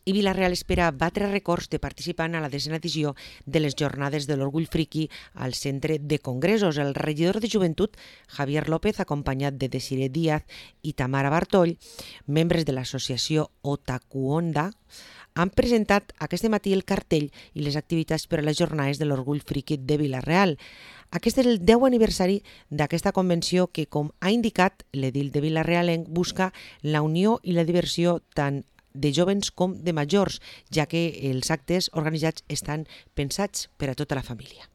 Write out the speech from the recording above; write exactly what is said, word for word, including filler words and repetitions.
I Vila-real espera batre rècords de participant a la desena edició de les Jornades de l'Orgull Friki al Centre de Congressos. El regidor de Joventut, Javier López, acompanyat de Desiree Díaz i Tamara Bartoll, membres de l'associació Otakuonda, han presentat aquest matí el cartell i les activitats per a les Jornades de l'Orgull Friki de Vila-real. Aquest és el deu aniversari d'aquesta convenció que, com ha indicat l'edil de Vila-realenc, busca la unió i la diversió tant de jovens com de majors, ja que els actes organitzats estan pensats per a tota la família.